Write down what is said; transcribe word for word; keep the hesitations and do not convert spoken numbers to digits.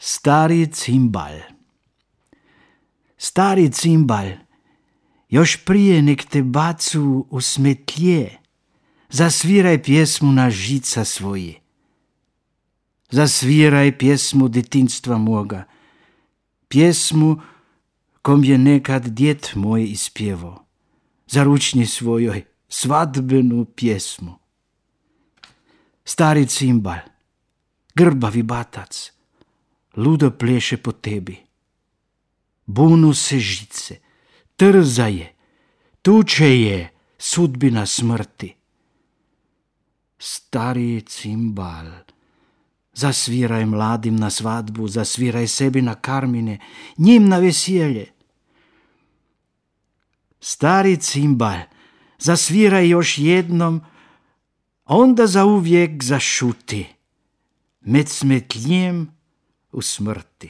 Stari cimbal. Stari cimbal, još prije nek te bacu u smetlje, zasviraj pjesmu na žica svoje. Zasviraj pjesmu detinstva moga, pjesmu kom je nekad djed moj ispjevo, za ručni svojoj svadbenu pjesmu. Stari cimbal, grbavi batac, ludo pleše po tebi. Bunu se žice, trza je, tuče je sudbina smrti. Stari cimbal, zasviraj mladim na svadbu, zasviraj sebi na karmine, njim na veselje. Stari cimbal, zasviraj još jednom, onda zauvijek zašuti, med smetljem u smrti.